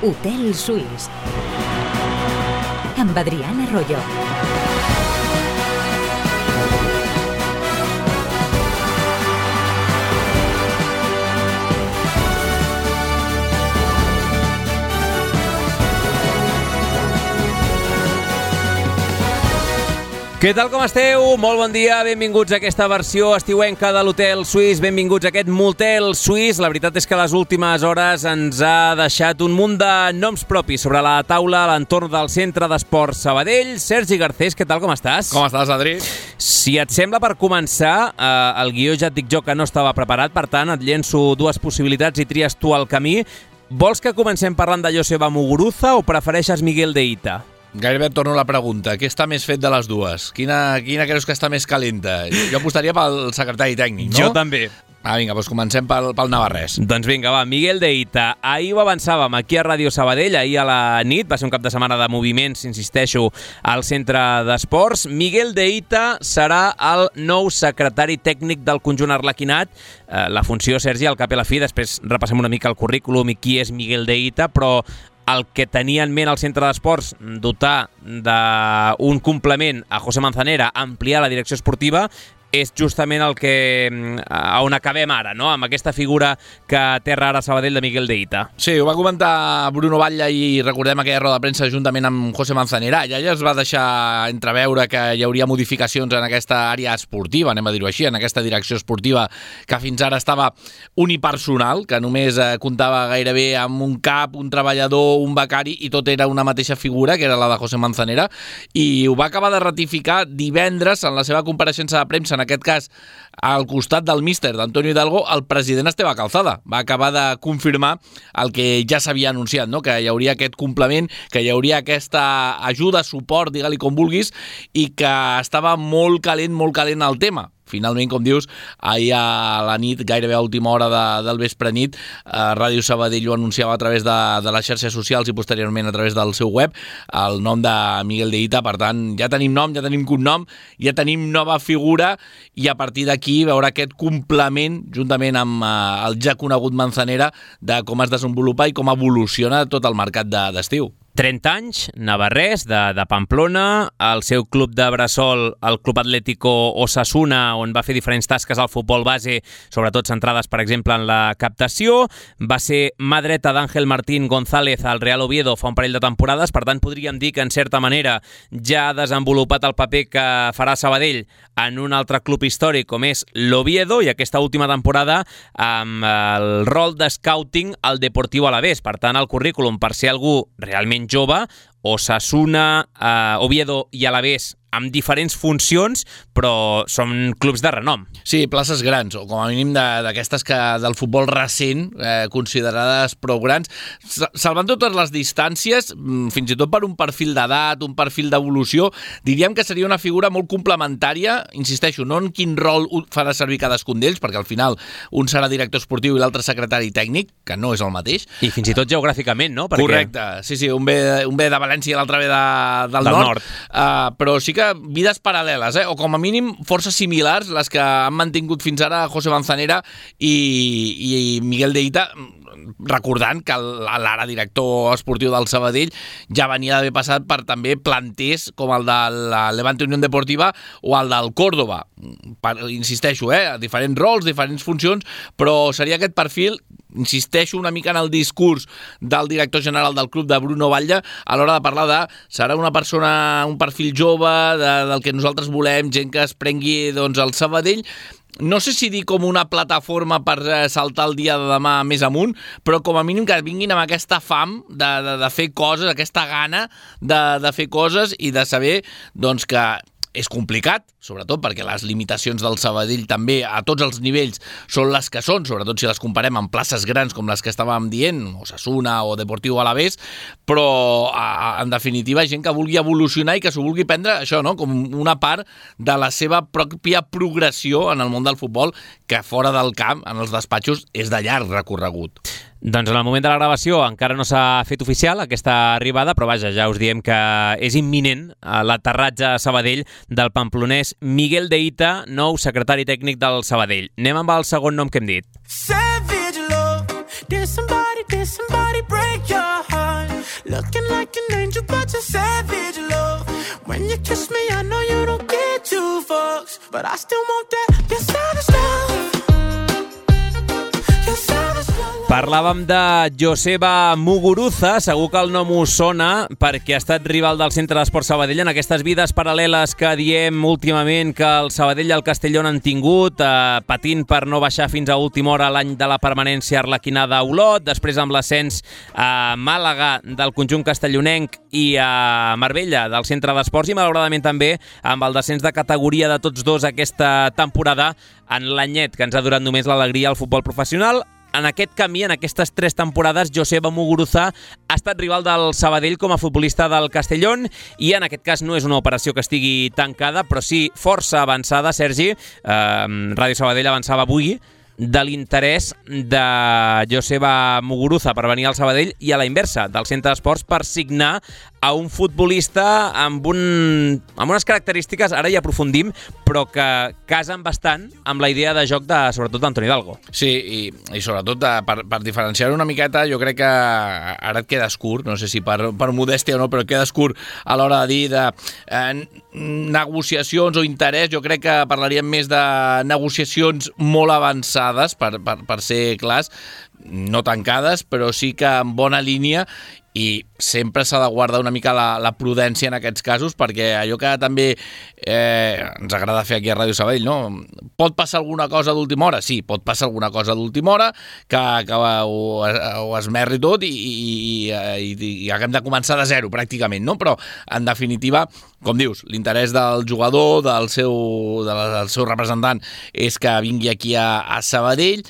Hotel Suís amb Adrián Arroyo. Què tal, com esteu? Molt bon dia, benvinguts a aquesta versió estiuenca de l'Hotel Suís, benvinguts a aquest motel suís. La veritat és que les últimes hores ens ha deixat un munt de noms propis sobre la taula a l'entorn del Centre d'Esports Sabadell. Sergi Garcés, què tal, com estàs? Com estàs, Adri? Si et sembla, per començar, el guió ja et dic jo que no estava preparat, per tant et llenço dues possibilitats i tries tu el camí. Vols que comencem parlant de Joseba Muguruza o prefereixes Miguel de Ita? Gairebé et torno la pregunta. Què està més fet de les dues? Quina creus que està més calenta? Jo apostaria pel secretari tècnic, no? Jo també. Vinga, doncs comencem pel navarrès. Doncs vinga, va, Miguel de Ita. Ahir ho avançàvem aquí a Ràdio Sabadell, ahir a la nit, va ser un cap de setmana de moviments, insisteixo, al Centre d'Esports. Miguel de Ita serà el nou secretari tècnic del conjunt arlequinat. La funció, Sergi, al cap i a la fi, després repassem una mica el currículum i qui és Miguel de Ita, però el que tenia en ment al Centre d'Esports, dotar d'un complement a José Manzanera, ampliar la direcció esportiva, és justament el que on acabem ara, no? Amb aquesta figura que aterra ara Sabadell de Miguel de Ita. Sí, ho va comentar Bruno Batlle i recordem aquella roda de premsa juntament amb José Manzanera. Ja es va deixar entreveure que hi hauria modificacions en aquesta àrea esportiva, anem a dir-ho així, en aquesta direcció esportiva que fins ara estava unipersonal, que només comptava gairebé amb un cap, un treballador, un becari, i tot era una mateixa figura, que era la de José Manzanera, i ho va acabar de ratificar divendres en la seva compareixença de premsa, en aquest cas al costat del míster d'Antonio Hidalgo, el president Esteve Calzada. Va acabar de confirmar el que ja s'havia anunciat, no? Que hi hauria aquest complement, que hi hauria aquesta ajuda, suport, digue-li com vulguis, i que estava molt calent el tema. Finalment, com dius, ahir a la nit, gairebé a última hora del vespre nit, Ràdio Sabadell ho anunciava a través de les xarxes socials i posteriorment a través del seu web, el nom de Miguel de Ita. Per tant, ja tenim nom, ja tenim cognom, ja tenim nova figura, i a partir d'aquí veure aquest complement, juntament amb el ja conegut Manzanera, de com es desenvolupa i com evoluciona tot el mercat d'estiu. 30 anys, navarrès, de Pamplona, el seu club de bressol, el Club Atlético Osasuna, on va fer diferents tasques al futbol base, sobretot centrades, per exemple, en la captació. Va ser mà dreta d'Àngel Martín González al Real Oviedo fa un parell de temporades, per tant podríem dir que, en certa manera, ja ha desenvolupat el paper que farà Sabadell en un altre club històric com és l'Oviedo, i aquesta última temporada amb el rol de scouting al Deportiu Alavés. Per tant, el currículum, per ser algú realment jove, Osasuna, Oviedo i Alavés, amb diferents funcions, però són clubs de renom. Sí, places grans, o com a mínim d'aquestes que del futbol recent, considerades prou grans, salvant totes les distàncies, fins i tot per un perfil d'edat, un perfil d'evolució, diríem que seria una figura molt complementària, insisteixo, no en quin rol farà servir cadascun d'ells, perquè al final un serà director esportiu i l'altre secretari tècnic, que no és el mateix. I fins i tot geogràficament, no? Correcte, sí, un ve de València i l'altre ve del nord. Però sí que vides paral·leles, o com a mínim forces similars, les que han mantingut fins ara José Manzanera i Miguel de Ita, recordant que l'ara director esportiu del Sabadell ja venia d'haver passat per també planters com el de la Levante Unión Deportiva o el del Córdoba. Insisteixo, diferents rols, diferents funcions, però seria aquest perfil, insisteixo una mica en el discurs del director general del club, de Bruno Batlle, a l'hora de parlar de serà una persona, un perfil jove, del que nosaltres volem, gent que es prengui el Sabadell, no sé si dir com una plataforma per saltar el dia de demà més amunt, però com a mínim que vinguin amb aquesta fam de fer coses, aquesta gana de fer coses i de saber que és complicat, sobretot perquè les limitacions del Sabadell també a tots els nivells són les que són, sobretot si les comparem amb places grans com les que estàvem dient, Osasuna o Deportiu Alavés, però en definitiva gent que vulgui evolucionar i que s'ho vulgui prendre això, no? Com una part de la seva pròpia progressió en el món del futbol, que fora del camp, en els despatxos, és de llarg recorregut. Doncs en el moment de la gravació encara no s'ha fet oficial aquesta arribada, però vaja, ja us diem que és imminent l'aterratge a Sabadell del pamplonès Miguel de Ita, nou secretari tècnic del Sabadell. Anem amb el segon nom que hem dit. Savage love, did somebody break your heart? such a savage love. When you kiss me, I know you don't get two fucks, but I still want that. Your savage love. Your savage love. Parlàvem de Joseba Muguruza, segur que el nom us sona perquè ha estat rival del Centre d'Esports Sabadell en aquestes vides paral·leles que diem últimament que el Sabadell i el Castellón han tingut, patint per no baixar fins a última hora l'any de la permanència arlequinada a Olot, després amb l'ascens a Màlaga del conjunt castellonenc i a Marbella del Centre d'Esports i malauradament també amb el descens de categoria de tots dos aquesta temporada en l'anyet que ens ha durat només l'alegria al futbol professional. En aquest camí, en aquestes 3 temporades, Joseba Muguruza ha estat rival del Sabadell com a futbolista del Castellón i en aquest cas no és una operació que estigui tancada, però sí força avançada, Sergi. Ràdio Sabadell avançava avui de l'interès de Joseba Muguruza per venir al Sabadell i a la inversa, del Centre d'Esports per signar a un futbolista amb unes característiques, ara hi aprofundim, però que casen bastant amb la idea de joc de, sobretot, d'Antoni Hidalgo. Sí, i sobretot per diferenciar-ho una miqueta, jo crec que ara et quedes curt, no sé si per modèstia o no, però et quedes curt a l'hora de dir de negociacions o interès. Jo crec que parlaríem més de negociacions molt avançades, per ser clars, no tancades, però sí que en bona línia, i sempre s'ha de guardar una mica la prudència en aquests casos, perquè allò que també ens agrada fer aquí a Ràdio Sabadell, no? Pot passar alguna cosa d'última hora? Sí, pot passar alguna cosa d'última hora que ho esmerri tot i haguem de començar de zero, pràcticament, no? Però, en definitiva, com dius, l'interès del jugador, del seu representant, és que vingui aquí a Sabadell,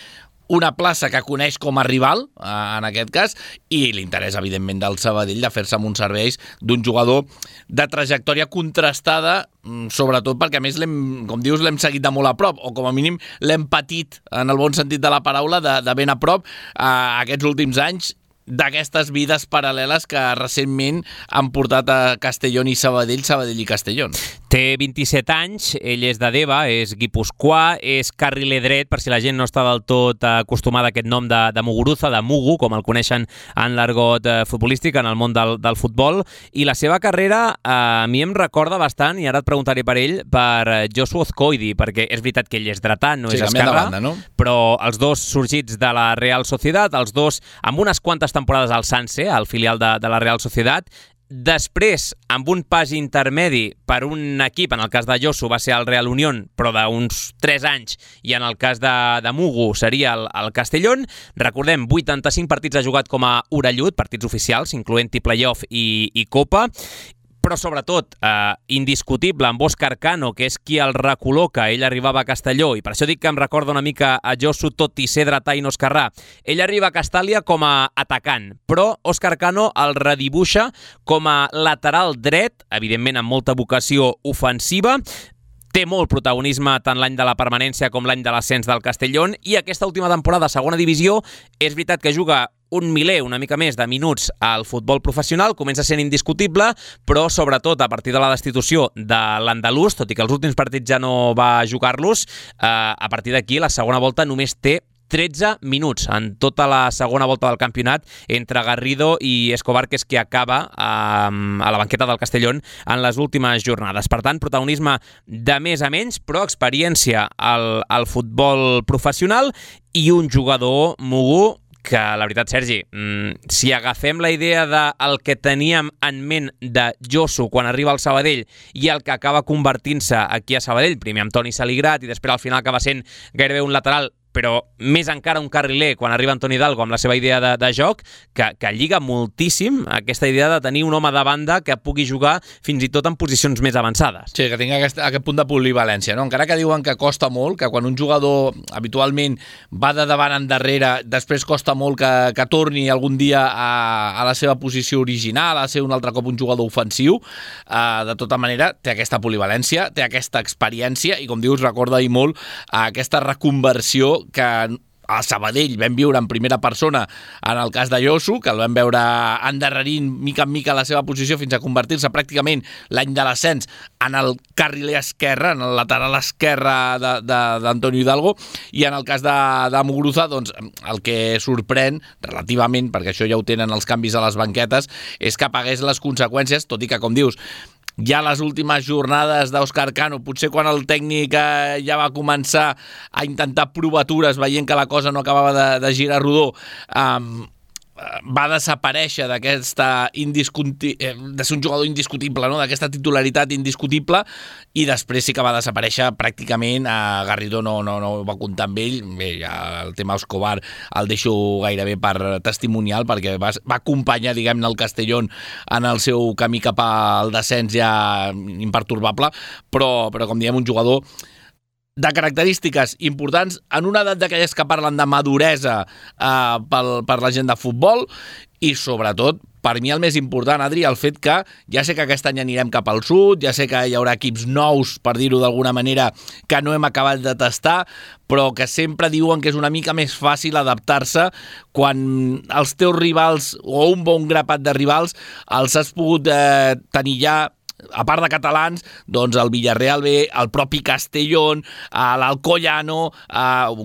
una plaça que coneix com a rival, en aquest cas, i l'interès, evidentment, del Sabadell de fer-se amb uns serveis d'un jugador de trajectòria contrastada, sobretot perquè, a més, com dius, l'hem seguit de molt a prop, o com a mínim l'hem patit, en el bon sentit de la paraula, de ben a prop, aquests últims anys, d'aquestes vides paral·leles que recentment han portat a Castellón i Sabadell, Sabadell i Castellón. Té 27 anys, ell és de Deva, és guipuscoà, és carriler dret, per si la gent no està del tot acostumada a aquest nom de Muguruza, de Mugu, com el coneixen en l'argot futbolístic, en el món del futbol, i la seva carrera a mi em recorda bastant, i ara et preguntaré per ell, per Josu Ozcoidi, perquè és veritat que ell és dretà, no és esquerrà, banda, no? Però els dos sorgits de la Real Sociedad, els dos amb unes quantes temporades al Sanse, al filial de la Real Sociedad, després, amb un pas intermedi per un equip, en el cas de Josu va ser el Real Unión, però d'uns 3 anys, i en el cas de Mugu seria el Castellón. Recordem, 85 partits ha jugat com a orellut, partits oficials, incloent-hi playoff i Copa, però sobretot indiscutible amb Òscar Cano, que és qui el recol·loca. Ell arribava a Castelló, i per això dic que em recorda una mica a Josu, tot i ser dretà i no esquerrà. Ell arriba a Castàlia com a atacant, però Òscar Cano el redibuixa com a lateral dret, evidentment amb molta vocació ofensiva. Té molt protagonisme tant l'any de la permanència com l'any de l'ascens del Castellón, i aquesta última temporada a segona divisió és veritat que juga un miler, una mica més de minuts al futbol professional, comença sent indiscutible, però sobretot a partir de la destitució de l'andalús, tot i que els últims partits ja no va jugar-los, a partir d'aquí la segona volta només té 13 minuts en tota la segona volta del campionat entre Garrido i Escobar, que és qui acaba a la banqueta del Castellón en les últimes jornades. Per tant, protagonisme de més a menys, però experiència al futbol professional i un jugador, Mugu, que la veritat, Sergi, si agafem la idea del que teníem en ment de Josu quan arriba al Sabadell i el que acaba convertint-se aquí a Sabadell, primer amb Toni Saligrat i després al final acaba sent gairebé un lateral, però més encara un carriler quan arriba Antoni Hidalgo amb la seva idea de joc, que lliga moltíssim aquesta idea de tenir un home de banda que pugui jugar fins i tot en posicions més avançades. Sí, que tingui aquest punt de polivalència, no? Encara que diuen que costa molt, que quan un jugador habitualment va de davant endarrere, després costa molt que torni algun dia a la seva posició original, a ser un altre cop un jugador ofensiu, de tota manera té aquesta polivalència, té aquesta experiència i, com dius, recorda i molt aquesta reconversió que a Sabadell vam viure en primera persona en el cas de Yosu, que el vam veure endarrerint mica en mica la seva posició fins a convertir-se pràcticament l'any de l'ascens en el carriler esquerre, en el lateral esquerre d'Antonio Hidalgo, i en el cas de Muguruza, doncs, el que sorprèn relativament, perquè això ja ho tenen els canvis a les banquetes, és que pagués les conseqüències, tot i que, com dius, ja les últimes jornades d'Òscar Cano, potser quan el tècnic ja va començar a intentar provatures veient que la cosa no acabava de girar rodó, va desaparèixer d'aquesta de ser un jugador indiscutible, no? D'aquesta titularitat indiscutible, i després sí que va desaparèixer pràcticament. Garrido no va comptar amb ell. Bé, ja el tema Escobar el deixo gairebé per testimonial, perquè va acompanyar, diguem-ne, el Castellón en el seu camí cap al descens ja impertorbable, però com diem, un jugador de característiques importants en una edat d'aquelles que parlen de maduresa per la gent de futbol, i sobretot, per mi el més important, Adri, el fet que ja sé que aquest any anirem cap al sud, ja sé que hi haurà equips nous, per dir-ho d'alguna manera, que no hem acabat de tastar, però que sempre diuen que és una mica més fàcil adaptar-se quan els teus rivals, o un bon grapat de rivals, els has pogut tenir ja, a part de catalans, doncs el Villarreal B, el propi Castellón, l'Alcoyano,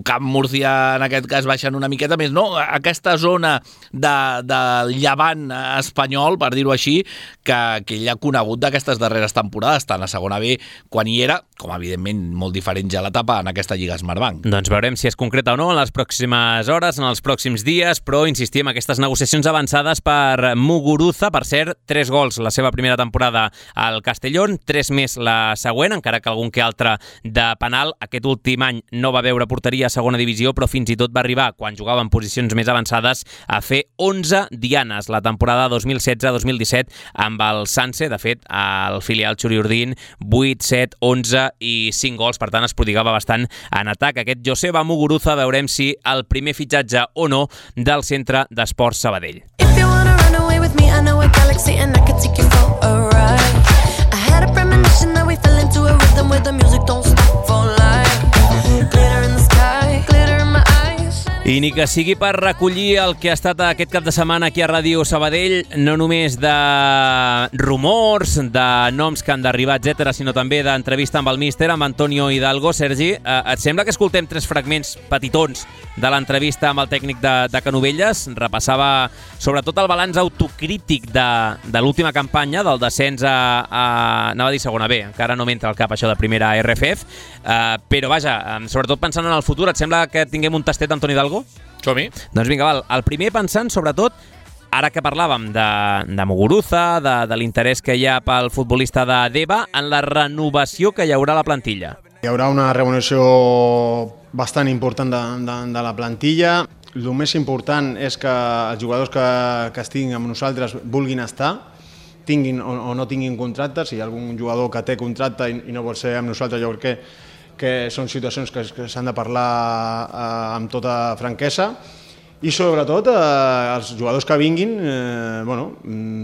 Camp Murcia en aquest cas baixant una miqueta més, no? Aquesta zona del llevant espanyol, per dir-ho així, que ell ha conegut d'aquestes darreres temporades, tant a segona B quan hi era, com evidentment molt diferent ja l'etapa en aquesta Lliga Smartbank. Doncs veurem si es concreta o no en les pròximes hores, en els pròxims dies, però insistim, aquestes negociacions avançades per Muguruza, per cert, 3 gols la seva primera temporada al Castellón, 3 més la següent, encara que algun que altre de penal. Aquest últim any no va veure porteria a segona divisió, però fins i tot va arribar, quan jugava en posicions més avançades, a fer 11 dianes la temporada 2016-2017 amb el Sanse. De fet, al filial Xuriurdin, 8, 7, 11 i 5 gols, per tant es prodigava bastant en atac. Aquest Joseba Muguruza, veurem si el primer fitxatge o no del Centre d'Esports Sabadell. If you wanna run away with me, I know a galaxy and I can take you for a ride. I had a premonition that we fell into a rhythm where the music don't stop for life. Glitter in the sky, glitter in my eyes. I ni que sigui per recollir el que ha estat aquest cap de setmana aquí a Ràdio Sabadell, no només de rumors, de noms que han d'arribar, etc., sinó també d'entrevista amb el míster, amb Antonio Hidalgo. Sergi, et sembla que escoltem 3 fragments petitons de l'entrevista amb el tècnic de Canovelles? Repassava sobretot el balanç autocrític de l'última campanya, del descens anava a dir segona B, encara no m'entra al cap això de primera RFF, però vaja, sobretot pensant en el futur, et sembla que tinguem un tastet d'Antonio Hidalgo? Som-hi. Doncs vinga, val. El primer pensant, sobretot, ara que parlàvem de Muguruza, de l'interès que hi ha pel futbolista de Deva, en la renovació que hi haurà a la plantilla. Hi haurà una renovació bastant important de la plantilla. El més important és que els jugadors que estiguin amb nosaltres vulguin estar, tinguin o no tinguin contracte. Si hi ha algun jugador que té contracte i no vol ser amb nosaltres, jo crec que són situacions que s'han de parlar amb tota franquesa. I sobretot els jugadors que vinguin,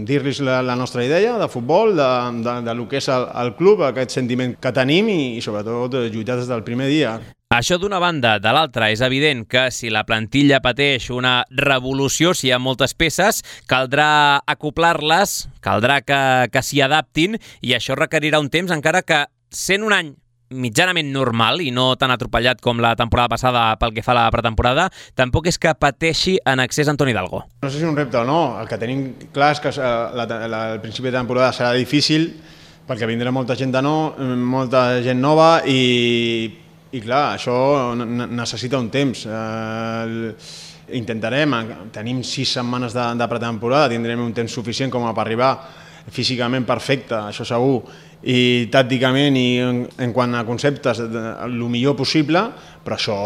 dir-los la nostra idea de futbol, de lo que és el club, aquest sentiment que tenim i sobretot lluitar des del primer dia. Això d'una banda. De l'altra, és evident que si la plantilla pateix una revolució, si hi ha moltes peces, caldrà acoplar-les, caldrà que s'hi adaptin, i això requerirà un temps, encara que sent un any mitjanament normal i no tan atropellat com la temporada passada pel que fa a la pretemporada, tampoc és que pateixi en excés Antonio Hidalgo. No sé si és un repte o no. El que tenim clar és que el principi de temporada serà difícil perquè vindrà molta gent nova i clar, això necessita un temps. Intentarem, tenim 6 setmanes de pretemporada, tindrem un temps suficient com per arribar físicament perfecte, això segur, i tàcticament i en quant a conceptes el millor possible, però això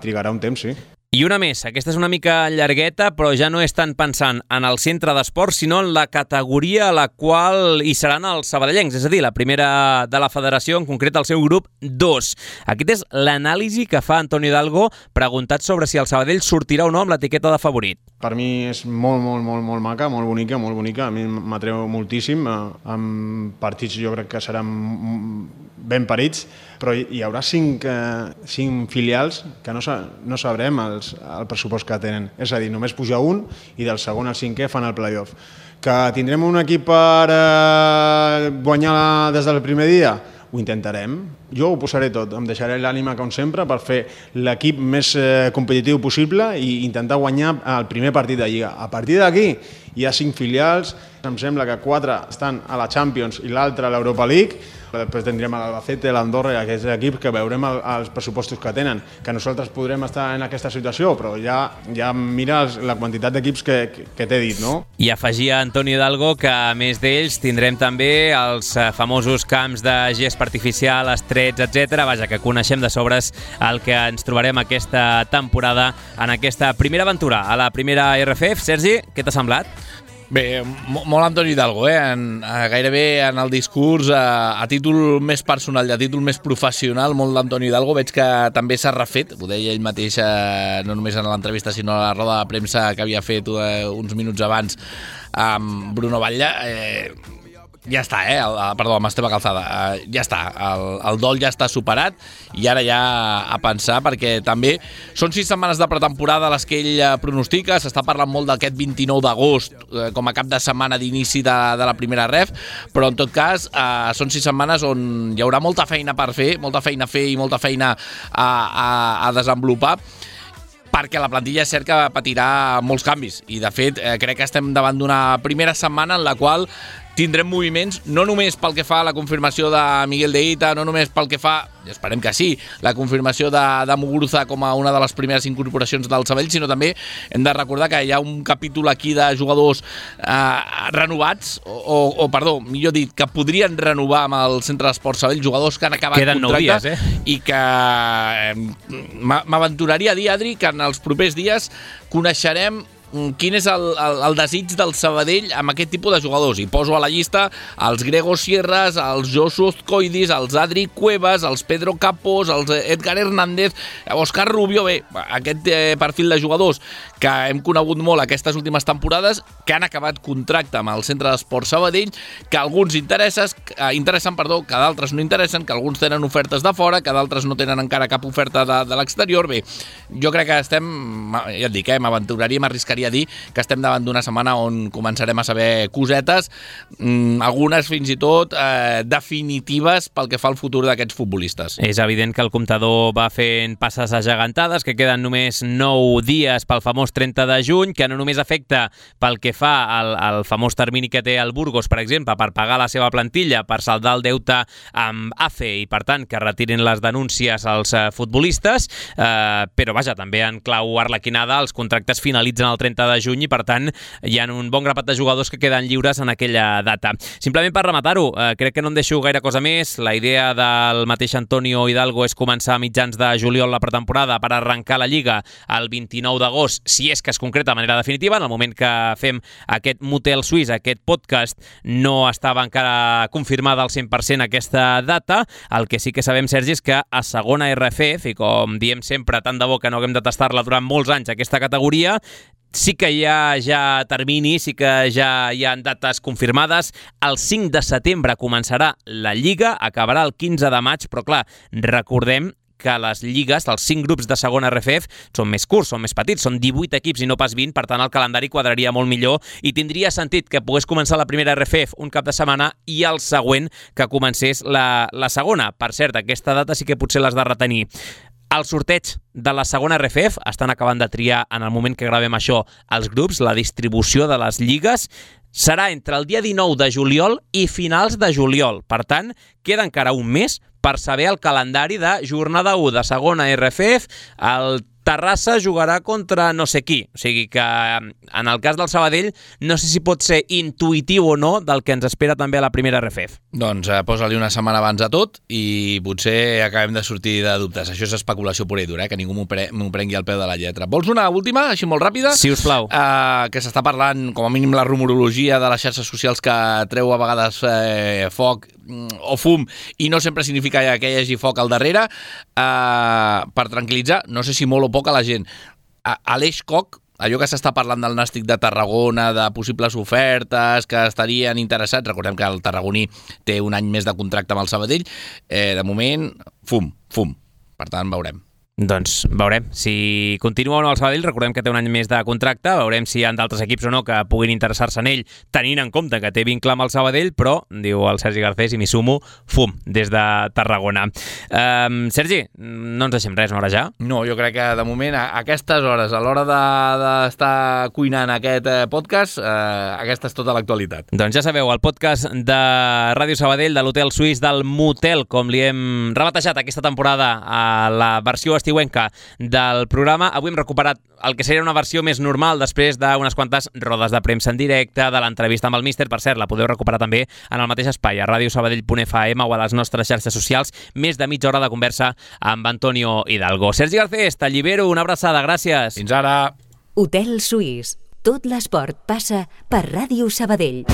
trigarà un temps, sí. I una més, aquesta és una mica llargueta, però ja no és tant pensant en el centre d'esports, sinó en la categoria a la qual hi seran els sabadellencs, és a dir, la primera de la federació, en concret el seu grup 2. Aquest és l'anàlisi que fa Antonio Hidalgo, preguntat sobre si el Sabadell sortirà o no amb l'etiqueta de favorit. Per mi és molt maca, molt bonica. A mi m'atreu moltíssim. En partits jo crec que seran ben parits, però hi haurà 5 filials que no sabrem el pressupost que tenen. És a dir, només puja un i del segon al cinquè fan el play-off. Que tindrem un equip per guanyar des del primer dia? Ho intentarem. Jo ho posaré tot, em deixaré l'ànima com sempre per fer l'equip més competitiu possible i intentar guanyar el primer partit de Lliga. A partir d'aquí hi ha 5 filials, em sembla que 4 estan a la Champions i l'altra a l'Europa League. Després tindrem l'Albacete, l'Andorra i aquests equips que veurem els pressupostos que tenen. Que nosaltres podrem estar en aquesta situació, però ja mira la quantitat d'equips que t'he dit, no? I afegia Antonio Hidalgo que, a més d'ells, tindrem també els famosos camps de gespa artificial, estrets, etc. Vaja, que coneixem de sobres el que ens trobarem aquesta temporada en aquesta primera aventura a la primera RFF. Sergi, què t'ha semblat? Bé, molt Antonio Hidalgo, gairebé en el discurs a títol més personal i a títol més professional, molt d'Antonio Hidalgo. Veig que també s'ha refet, ho deia ell mateix no només en l'entrevista sinó a la roda de premsa que havia fet uns minuts abans amb Bruno Batlle. Ja està, perdó, amb Esteve Calzada, ja està, el dol ja està superat i ara ja a pensar, perquè també són 6 setmanes de pretemporada les que ell pronostica. S'està parlant molt d'aquest 29 d'agost com a cap de setmana d'inici de la primera ref, però en tot cas són 6 setmanes on hi haurà molta feina per fer, molta feina a fer i molta feina a desenvolupar, perquè la plantilla és cert que patirà molts canvis i de fet crec que estem davant d'una primera setmana en la qual tindrem moviments, no només pel que fa a la confirmació de Miguel de Ita, no només pel que fa, esperem que sí, la confirmació de Muguruza com a una de les primeres incorporacions del Sabadell, sinó també hem de recordar que hi ha un capítol aquí de jugadors renovats, o perdó, millor dit, que podrien renovar amb el Centre d'Esports Sabadell, jugadors que han acabat contracte i que m'aventuraria a dir, Adri, que en els propers dies coneixerem quin és el desig del Sabadell amb aquest tipus de jugadors. I poso a la llista els Grego Sierras, els Josu Ozcoidis, els Adri Cuevas, els Pedro Capós, els Edgar Hernández, Òscar Rubio. Bé, aquest perfil de jugadors que hem conegut molt aquestes últimes temporades, que han acabat contracte amb el Centre d'Esports Sabadell, que alguns interessen, que d'altres no interessen, que alguns tenen ofertes de fora, que d'altres no tenen encara cap oferta de l'exterior. Bé, jo crec que estem, ja et dic, m'arriscaria a dir que estem davant d'una setmana on començarem a saber cosetes, algunes fins i tot definitives pel que fa al futur d'aquests futbolistes. És evident que el comptador va fent passes agegantades, que queden només 9 dies pel famós 30 de juny, que no només afecta pel que fa al famós termini que té el Burgos, per exemple, per pagar la seva plantilla, per saldar el deute amb AFE i, per tant, que retirin les denúncies als futbolistes, però, vaja, també en clau arlequinada, els contractes finalitzen el 30 de juny i, per tant, hi ha un bon grapat de jugadors que queden lliures en aquella data. Simplement per rematar-ho, crec que no em deixo gaire cosa més. La idea del mateix Antonio Hidalgo és començar a mitjans de juliol la pretemporada per arrencar la Lliga el 29 d'agost, si és que es concreta de manera definitiva. En el moment que fem aquest motel suís, aquest podcast, no estava encara confirmada al 100% aquesta data. El que sí que sabem, Sergi, és que a segona RFF, i com diem sempre, tant de bo que no haguem de tastar-la durant molts anys aquesta categoria, sí que hi ha ja termini, sí que ja hi ha dates confirmades. El 5 de setembre començarà la Lliga, acabarà el 15 de maig, però clar, recordem que les lligues, els 5 grups de segona RFF, són més curts, són més petits, són 18 equips i no pas 20, per tant el calendari quadraria molt millor i tindria sentit que pogués començar la primera RFF un cap de setmana i el següent que comencés la segona. Per cert, aquesta data sí que potser l'has de retenir. El sorteig de la segona RFF, estan acabant de triar en el moment que gravem això els grups, la distribució de les lligues, serà entre el dia 19 de juliol i finals de juliol. Per tant, queda encara un mes per saber el calendari de jornada 1 de segona RFF. El Terrassa jugarà contra no sé qui. O sigui que, en el cas del Sabadell, no sé si pot ser intuïtiu o no del que ens espera també a la primera RFF. Doncs posa-li una setmana abans a tot i potser acabem de sortir de dubtes. Això és especulació pura i dura, que ningú m'ho prengui al peu de la lletra. Vols una última, així molt ràpida? Si us plau. Que s'està parlant, com a mínim, la rumorologia de les xarxes socials que treu a vegades foc o fum, i no sempre significa que hi hagi foc al darrere. Per tranquil·litzar, no sé si molt o poc a la gent, Aleix Koch allò que s'està parlant del Nàstic de Tarragona, de possibles ofertes que estarien interessats, recordem que el tarragoní té un any més de contracte amb el Sabadell, de moment, fum. Per tant, veurem. Doncs veurem si continua o no el Sabadell. Recordem que té un any més de contracte, veurem si hi ha d'altres equips o no que puguin interessar-se en ell, tenint en compte que té vincle amb el Sabadell, però, diu el Sergi Garcés, i m'hi sumo, des de Tarragona. Sergi, no ens deixem res, no, ara ja? No, jo crec que de moment, a aquestes hores, a l'hora d'estar cuinant aquest podcast, aquesta és tota l'actualitat. Doncs ja sabeu, el podcast de Ràdio Sabadell, de l'Hotel Suís, del Motel, com li hem rebatejat aquesta temporada a la versió estiuenca del programa. Avui hem recuperat el que seria una versió més normal després d'unes quantes rodes de premsa en directe, de l'entrevista amb el míster. Per cert, la podeu recuperar també en el mateix espai, a radiosabadell.fm o a les nostres xarxes socials. Més de mitja hora de conversa amb Antonio Hidalgo. Sergi Garcés, t'allibero, una abraçada, gràcies. Fins ara. Hotel Suís. Tot l'esport passa per Ràdio Sabadell.